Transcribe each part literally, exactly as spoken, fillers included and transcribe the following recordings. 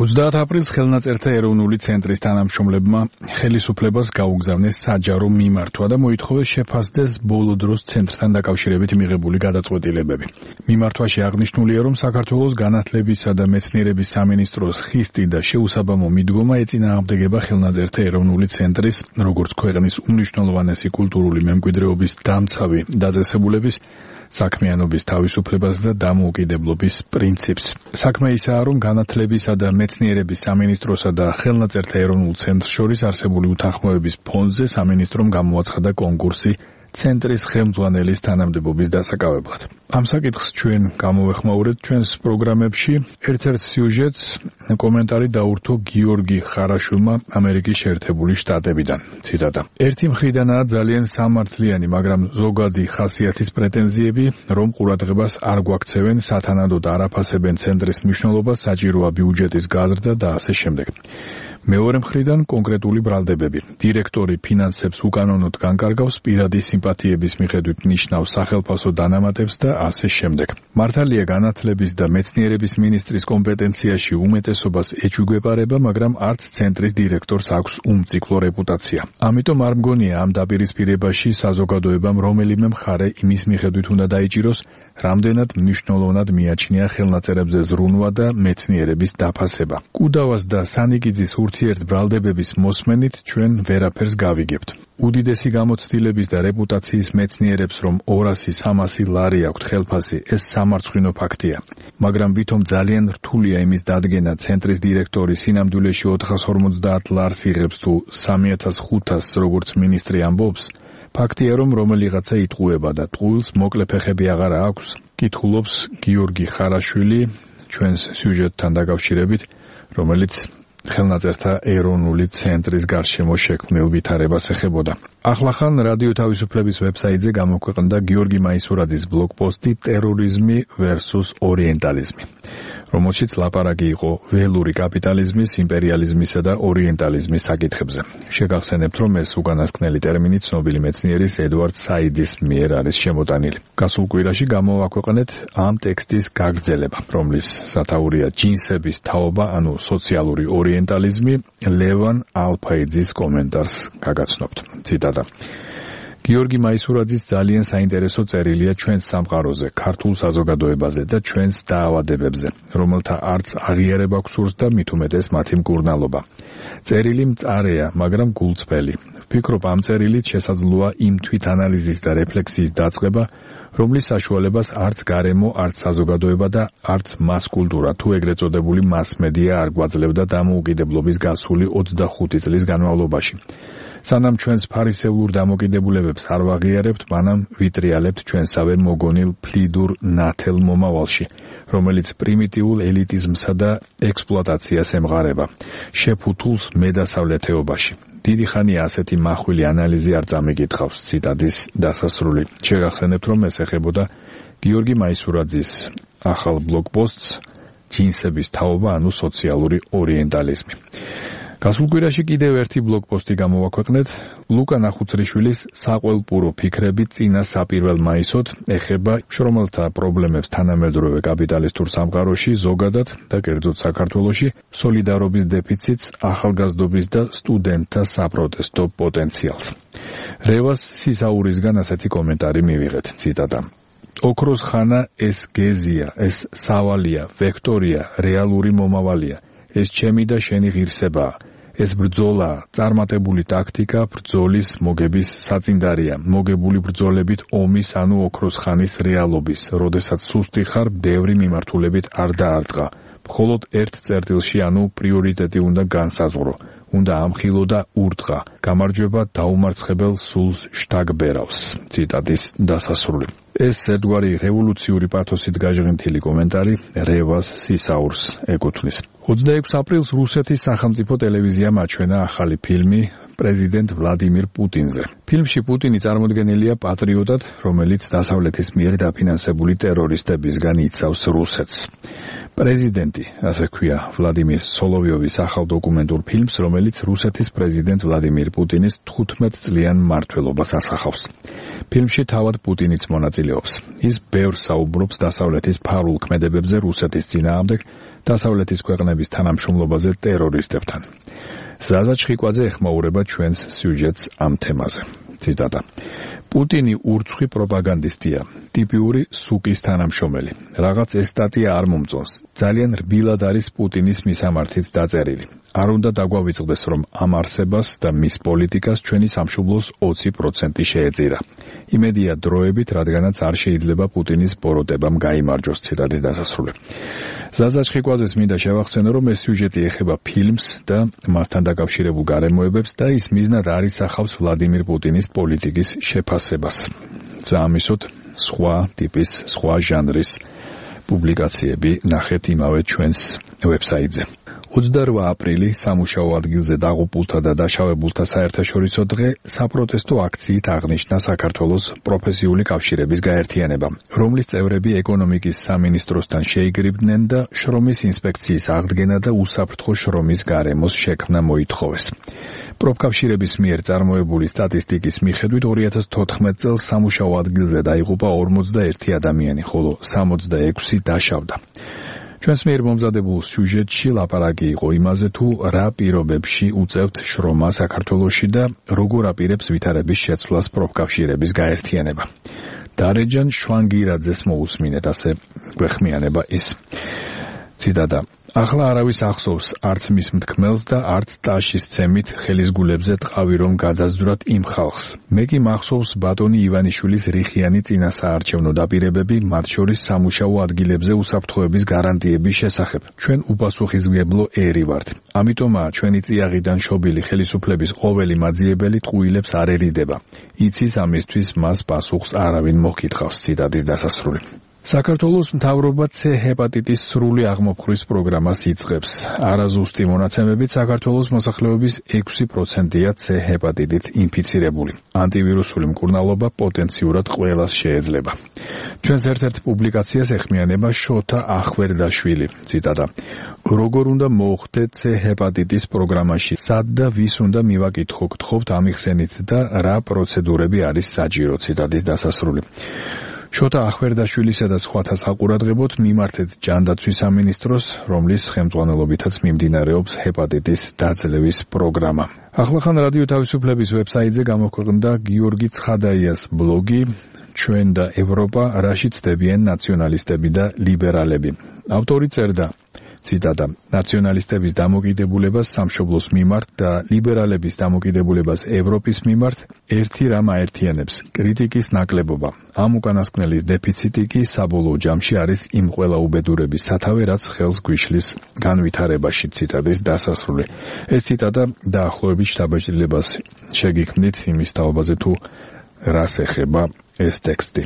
ოცდაათ აპრილს ხელნაწერთა ეროვნული ცენტრის თანამშრომლებმა ხელისუფლებას გაუგზავნეს საჯარო მიმართვა და მოითხოვეს შეფასდეს ბოლო დროს ცენტრთან დაკავშირებით მიღებული გადაწყვეტილებები. მიმართვაში აღნიშნულია, რომ საქართველოს განათლებისა და მეცნიერების სამინისტროს ხისტი და შეუსაბამო მიდგომა ეწინააღმდეგება ხელნაწერთა ეროვნული ცენტრის, როგორც ქვეყნის უმნიშვნელოვანესი კულტურული მემკვიდრეობის დამცავი დაწესებულების საქმიანობის თავისუფლებას და დამოუკიდებლობის პრინციპს. საქმე ისაა, რომ განათლებისა და მეცნიერების სამინისტროსა და ხელნაწერთა ეროვნულ ცენტრს შორის არსებული უთანხმოების ფონზე სამინისტრომ გამოაცხადა კონკურსი ცენტრის ხელმძღვანელის თანამდებობის დასაკავებლად. ამ საკითხს ჩვენ გამოვეხმაურეთ ჩვენს პროგრამებში. ერთ-ერთ სიუჟეტს კომენტარი დაურთო გიორგი ხარაშვილმა ამერიკის შეერთებული შტატებიდან. ციტატა. ერთი მხრიდანაა ძალიან სამართლიანი, მაგრამ ზოგადი ხასიათის პრეტენზიები, რომ ყურადღებას არ გვაქცევენ, სათანადოდ არ აფასებენ ცენტრის მნიშვნელობას, საჭიროა ბიუჯეტის გაზრდა და ასე შემდეგ. მეორე მხრიდან კონკრეტული ბრალდებები. დირექტორი ფინანსებს უკანონოდ განკარგავს, პირადი სიმპათიების მიხედვით ნიშნავს სახელფასო დანამატებს და ასე შემდეგ. მართალია განათლების და მეცნიერების მინისტრის კომპეტენციაში უმეტესობას ეჩუგვეპარება, მაგრამ არც ცენტრის დირექტორს აქვს უმციკლო რეპუტაცია. ამიტომ არ მგონია ამ დაპირისპირებაში საზოგადოებამ რომელიმე მხარე იმის მიხედვით უნდა დაიჭიროს, რამდენად მნიშვნელოვნად მიაჩნია ხელნაწერებზე ზრუნვა და მეცნიერების დაფასება. კუდავას და სანიკიძის ურთიერთ ბრალდებების მოსმენით ჩვენ ვერაფერს გავიგებთ. უდიდესი გამოცდილების და რეპუტაციის მეცნიერებს, რომ ორასი სამასი ლარი აქვთ ხელფასი, ეს სამარცხვინო ფაქტია. მაგრამ ვითომ ძალიან რთულია იმის დადგენა, ცენტრის დირექტორი სინამდვილეში ოთხას ორმოცდაათ ლარს იღებს თუ სამი ათას ხუთასს, როგორც მინისტრი ამბობს, ფაქტია, რომ რომელიღაცა იტყუება და ტყუილს მოკლე ფეხები აღარა აქვს, კითხულობს გიორგი ხარაშვილი ჩვენს სიუჟეტთან დაკავშირებით, რომელიც ხელნაწერთა ეროვნული ცენტრის გარშემო შექმნილ ვითარებას ეხებოდა. ახლახან რადიო თავისუფლების ვებსაიტზე გამოქვეყნდა გიორგი მაისურაძის ბლოგპოსტი ტერორიზმი versus ორიენტალიზმი, რომელშიც ლაპარაკი იყო ველური კაპიტალიზმის, იმპერიალიზმისა და ორიენტალიზმის საკითხებზე. შეგახსენებთ, რომ ეს უკანასკნელი ტერმინი ცნობილი მეცნიერის ედვარდ საიდის მიერ არის შემოტანილი. გასულ კვირაში გამოვაქვეყნეთ ამ ტექსტის გაგრძელება, რომლის სათაურია ჯინსების თაობა, ანუ სოციალური ორიენტალიზმი. ლევან ალფაიძის კომენტარს გაგაცნობთ. ციტატა. გიორგი მაისურაძის ძალიან საინტერესო წერილია ჩვენს სამყაროზე, ქართულ საზოგადოებაზე და ჩვენს დაავადებებზე, რომელთა არც აღიარება გვსურს და მით უმეტეს მათი მკურნალობა. წერილი მწარეა, მაგრამ გულწრფელი. ვფიქრობ, ამ წერილით შესაძლოა იმ თვითანალიზის და რეფლექსიის დაწყება, რომლის საშუალებას არც გარემო, არც საზოგადოება და არც მას-კულტურა, თუ ეგრეთ წოდებული მას-მედია არ გვაძლევდა დამოუკიდებლობის გასული ოცდახუთი წლის განმავლობაში. სანამ ჩვენს ფარისეულურ დამოკიდებულებებს არ ვაღიარებთ, მანამ ვიტრიალებთ ჩვენსავე მოგონილ ფლიდურ ნათელ მომავალში, რომელიც პრიმიტიულ ელიტიზმსა და ექსპლუატაციას ემღარება, შეფუთულს მედასავლეთეობაში. დიდი ხანია ასეთი მახვილი ანალიზი არ წამიკითხავს. ციტატის დასასრული. შეგახსენებთ, რომ ეს ეხებოდა გიორგი მაისურაძის ახალ ბლოგპოსტს ჯინსების თაობა, ანუ სოციალური ორიენტალიზმი. გასულ კვირაში კიდევ ერთი ბლოგპოსტი გამოვაქვეყნეთ. ლუკა ნახუცრიშვილის საყველპურო ფიქრები წინა საპირველ მაისოდ ეხება შრომელთა პრობლემებს თანამედროვე კაპიტალისტურ სამყაროში ზოგადად და კერძოდ საქართველოში, სოლიდარობის დეფიციტს, ახალგაზრდობის და სტუდენტთა საპროტესტო პოტენციალს. რევას სისაურისგან ასეთი კომენტარი მივიღეთ. ციტატა. ოქროს ხანა ეს გეზია, ეს სავალია, ვექტორია, რეალური მომავალია. ეს ჩემი და შენი ღირსებაა. ეს ბრძოლა, წარმატებული ტაქტიკა, ბრძოლის მოგების საწინდარია, მოგებული ბრძოლებით ომის, ანუ ოქროს ხანის რეალობის, როდესაც სუსტი ხარ, ბევრი მიმართულებით არ დაარტყა. მხოლოდ ერთ წერტილში, ანუ პრიორიტეტი უნდა განსაზღვრო, უნდა ამხილო და ურტყა. გამარჯვება დაუმარცხებელ სულს შთაგბერავს. ციტატის დასასრული. ეს ერთგვარი რევოლუციური პათოსით გაჟღენთილი კომენტარი რევას სისაურს ეკუთვნის. ოცდაექვსი აპრილს რუსეთის სახელმწიფო ტელევიზიამ აჩვენა ახალი ფილმი პრეზიდენტ ვლადიმირ პუტინზე. ფილმში პუტინი წარმოდგენილია პატრიოტად, რომელიც დასავლეთის მიერ დაფინანსებული ტერორისტებისგან იცავს რუსეთს. პრეზიდენტი, ასე ქვია ვლადიმირ სოლოვიოვის ახალ დოკუმენტურ ფილმს, რომელიც რუსეთის პრეზიდენტ ვლადიმირ პუტინის თხუთმეტ წლიან მმართველობას ასახავს. ფილმში თავად პუტინიც მონაწილეობს. ის ბევრს საუბრობს დასავლეთის ფარულ ქმედებებზე რუსეთის წინააღმდეგ, დასავლეთის ქვეყნების თანამშრომლობაზე ტერორისტებთან. ზაზა ჩხიკვაძე ეხმაურება ჩვენს სიუჟეტს ამ თემაზე. ციტატა. პუტინი ურცხვი პროპაგანდისტია, ტიპიური სუკის თანამშრომელი. რაღაც ეს სტატია არ მომწონს. ძალიან რბილად არის პუტინის მისამართით დაწერილი. არ უნდა დაგვავიწყდეს, რომ ამ არსებას და მის პოლიტიკას ჩვენი სამშობლოს ოცი პროცენტი შეეწირა. იმედია დროებით, რადგანაც არ შეიძლება პუტინის ბოროტებამ გაიმარჯოს. ციტატის დასასრული. ზაზა ჩხიკვაძეს მინდა შევახსენო, რომ ეს სიუჟეტი ეხება ფილმს და მასთან დაკავშირებულ გარემოებებს და ის მიზნად არ ისახავს ვლადიმირ პუტინის პოლიტიკის შეფასებას. ზამისოთ სხვა ტიპის, სხვა ჟანრის პუბლიკაციები ნახეთ იმავე ჩვენს ვებსაიტზე. ოცდაორ აპრილი სამუშაო ადგილზე დაღუპულთა და დაშავებულთა საერთაშორისო დღე საპროტესტო აქციით აღნიშნა საქართველოს პროფესიული კავშირების გაერთიანება, რომლის წევრები ეკონომიკის სამინისტროსთან შეიგრიბდნენ და შრომის ინსპექციის აღდგენა და უსაფრთხო შრომის გარემოს შექმნა მოითხოვეს. პროფკავშირების მიერ წარმოებული სტატისტიკის მიხედვით ორი ათას თოთხმეტ წელს სამუშაო ადგილზე დაიღუპა ორმოცდაერთი ადამიანი, ხოლო სამოცდაექვსი დაშავდა. ჩვენს მიერ მომზადებულ სიუჟეტში ლაპარაკი იყო იმაზე, თუ რა პირობებში უწევთ შრომა საქართველოში და როგორ აპირებს ვითარების შეცვლას პროფკავშირების გაერთიანება. დარეჯან შვანგირაძეს მოусმინეთ, ასე გვეხმიანება ის. ციტატა. ახლა არავის ახსოვს არც მის მთქმელს და არც ტაშის ცემით ხელისგულებზე ტყავი რომ გადაზდვრათ იმ ხალხს. მე კი მახსოვს ბატონი ივანიშვილის რიხიანი წინასაარჩევნო დაპირებები, მათ შორის სამუშაო ადგილებზე უსაფრთხოების გარანტიების შესახებ. ჩვენ უპასუხისმგებლო ერი ვართ. ამიტომაა ჩვენი წიაღიდან შობილი ხელისუფლების ყოველი მაძიებელი ტყუილებს არ ერიდება. იცის ამისთვის მას პასუხს არავინ მოხითხავს. ციტატის დასასრული. საქართველოს მთავრობა C ჰეპატიტის სრული აღმოფხვრვის პროგრამას იწყებს. არაზუსტი მონაცემებით საქართველოს მოსახლეობის ექვსი პროცენტია C ჰეპატიტით ინფიცირებული. ანტივირუსული მკურნალობა პოტენციურად ყველას შეეძლება. ჩვენს ერთ-ერთ პუბლიკაციას ეხმიანება შოთა ახვერდაშვილი. ციტატა. როგორ უნდა მოხდე C ჰეპატიტის პროგრამაში? სად და ვის უნდა მივაკითხო? გთხოვთ ამიხსენით და რა პროცედურები არის საჭირო? ციტატის დასასრული. შოთა ახვერდაშვილისა და სხვათა საყურადღებოდ მიმართეთ ჯანდაცვის სამინისტროს, რომლის ხელმძღვანელობითაც მიმდინარეობს ჰეპატიტის დაძლევის პროგრამა. ახლახან რადიო თავისუფლების ვებსაიტზე გამოქვეყნდა გიორგი ცხადაიას ბლოგი ჩვენ და ევროპა, რაში ცდებიან ნაციონალისტები და ლიბერალები. ავტორი წერდა, ციტატა, ნაციონალისტების დამოკიდებულებას სამშობლოს მიმართ და ლიბერალების დამოკიდებულებას ევროპის მიმართ ერთი რამ აერთიანებს, კრიტიკის ნაკლებობა. ამ უკანასკნელის დეფიციტი კი საბოლოო ჯამში არის იმ ყველა უბედურების სათავე, რაც ხელს გვიშლის განვითარებაში. ციტატის დასასრული. ეს ციტატა დაახლოებით შთაბეჭდილებას შეგიქმნით იმის თაობაზე, თუ რას ეხება ეს ტექსტი.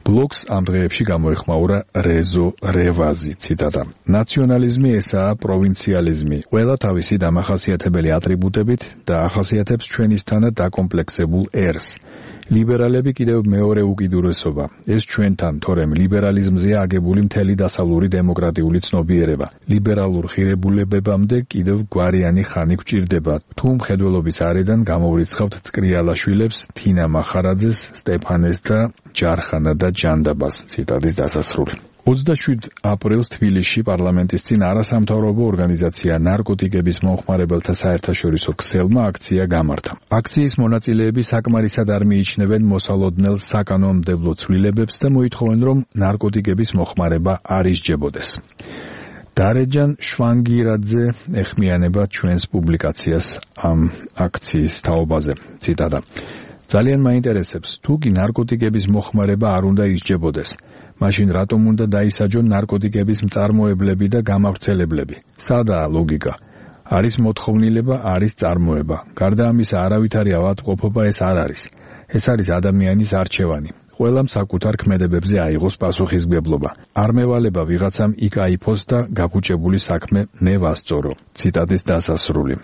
ბლოგს ამ დღეებში გამოეხმაურა რეზო რევაზი. ციტატა. ნაციონალიზმი ესაა პროვინციალიზმი, ყველა თავისი დამახასიათებელი ატრიბუტებით და ახასიათებს ჩვენისთანაც დაკომპლექსებულ ერს. ლიბერალები კიდევ მეორე უკიდურესობა. ეს ჩვენთან, თორემ ლიბერალიზმზეა აგებული მთელი დასავლური დემოკრატიული ცნობიერება. ლიბერალურ ღირებულებებამდე კიდევ გვარიანი ხანი გვჭირდება. თუ მხედველობის არიდან გამოვრიცხავთ წკრიალაშვილებს, თინა მახარაძეს, სტეფანეს და ჯარხანა და ჯანდაბას. ციტატის დასასრული. ოცდაშვიდ აპრილს თბილისში პარლამენტის წინ არასამთავრობო ორგანიზაცია ნარკოტიკების მომხმარებელთა საერთაშორისო ქსელმა აქცია გამართა. აქციის მონაწილეები საკმარისად არ მიიჩნევენ მოსალოდნელ საკანონმდებლო ცვლილებებს და მოითხოვენ, რომ ნარკოტიკების მოხმარება არ ისჯებოდეს. დარეჯან შვანგირაძე ეხმიანება ჩვენს პუბლიკაციას ამ აქციის თაობაზე. ციტატა. ძალიან მაინტერესებს, თუ კი ნარკოტიკების მოხმარება არ უნდა ისჯებოდეს. მაშინ რატომ უნდა დაისაჯონ ნარკოტიკების მწარმოებლები და გამავრცელებლები? სადაა ლოგიკა? არის მოთხოვნილება, არის წარმოება. გარდა ამისა, არავითარი ავადმყოფობა ეს არ არის. ეს არის ადამიანის არჩევანი. ყველამ საკუთარ ქმედებებზე აიღოს პასუხისმგებლობა. არ მევალება ვიღაცამ იქ აიფოს და გაფუჭებული საქმე მე ვასწორო. ციტატის დასასრული.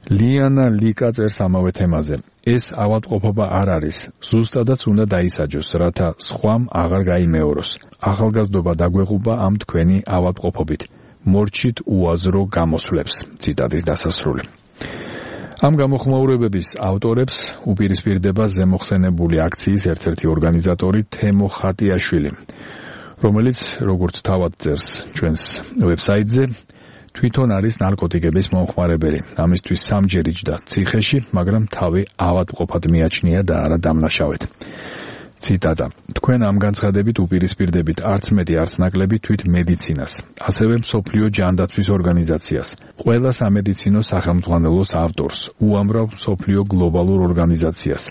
ლიანა ლიკა წერს ამავე თემაზე. ეს ავადმყოფობა არ არის, ზუსტადაც უნდა დაისაჯოს, რათა სხვამ აღარ გაიმეოროს. ახალგაზრდობა დაგვეღუება ამ თქვენი ავადმყოფობით. მორჩით უაზრო გამოსვლებს. ციტატის დასასრული. ამ გამოხმაურებების ავტორებს უპირისპირდება ზემოხსენებული აქციის ერთ-ერთი ორგანიზატორი თემო ხატიაშვილი. რომელიც როგორც თავად წერს ჩვენს ვებსაიტზე, თვითონ არის ნარკოტიკების მომხმარებელი. ამისთვის სამჯერ იჯდა ციხეში, მაგრამ თავი ავადმყოფად მიაჩნია და არა დამნაშავედ. ციტატა: თქვენ ამ განცხადებით უპირისპირდებით არც მეტი არც ნაკლები თვით მედიცინას, ასევე მსოფლიო ჯანდაცვის ორგანიზაციას, ყველა სამედიცინო სახელმძღვანელოს ავტორს, უამრავ მსოფლიო გლობალურ ორგანიზაციას,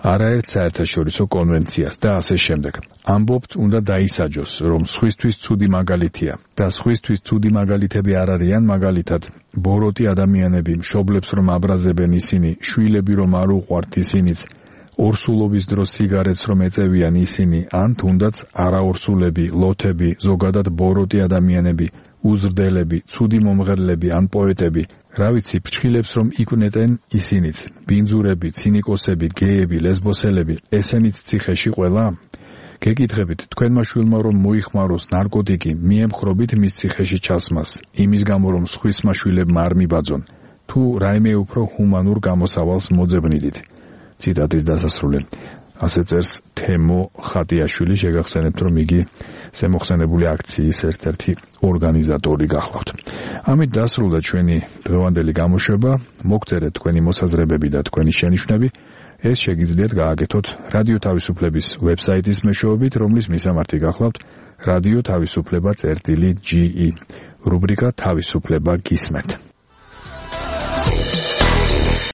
არაერთ საერთაშორისო კონვენციას და ასე შემდეგ. ამბობთ, უნდა დაისაჯოს, რომ სხვისთვის ცუდი მაგალითია და სხვისთვის ცუდი მაგალითები არ არიან, მაგალითად, ბოროტი ადამიანები, მშობლებს რომ აბრაზებენ ისინი, შვილები რომ არ უყვართ ისინიც, ორსულობის დროს სიგარეტს რომ ეწევიან ისინი, ან თუნდაც არაორსულები, ლოთები, ზოგადად ბოროტი ადამიანები, უზრდელები, ცუდი მომღერლები ან პოეტები, რა ვიცი, ფრჩხილებს რომ იკვნეტენ ისინიც, ბინძურები, ცინიკოსები, გეები, ლესბოსელები, ესენიც ციხეში ყველა? გეკითხებით, თქვენმა შვილმა რომ მოიხმაროს ნარკოტიკი, მიემხრობით მის ციხეში ჩასმას, იმის გამო რომ სხვისმა შვილებმა არ მიბაძონ, თუ რაიმე უფრო ჰუმანურ გამოსავალს მოძებნიდით. ციტატის დასასრული. ასე წერს თემო ხატიაშვილი, შეგახსენებთ, რომ იგი ზემოხსენებული აქციის ერთ-ერთი ორგანიზატორი გახლავთ. ამით დასრულდა ჩვენი დღევანდელი გამოშვება. მოგწერეთ თქვენი მოსაზრებები და თქვენი შენიშვნები. ეს შეგიძლიათ გააკეთოთ რადიო თავისუფლების ვებსაიტის მეშვეობით, რომლის მისამართი გახლავთ რადიო თავისუფლება წერტილი ჯი ი, რუბრიკა თავისუფლება გისმენთ.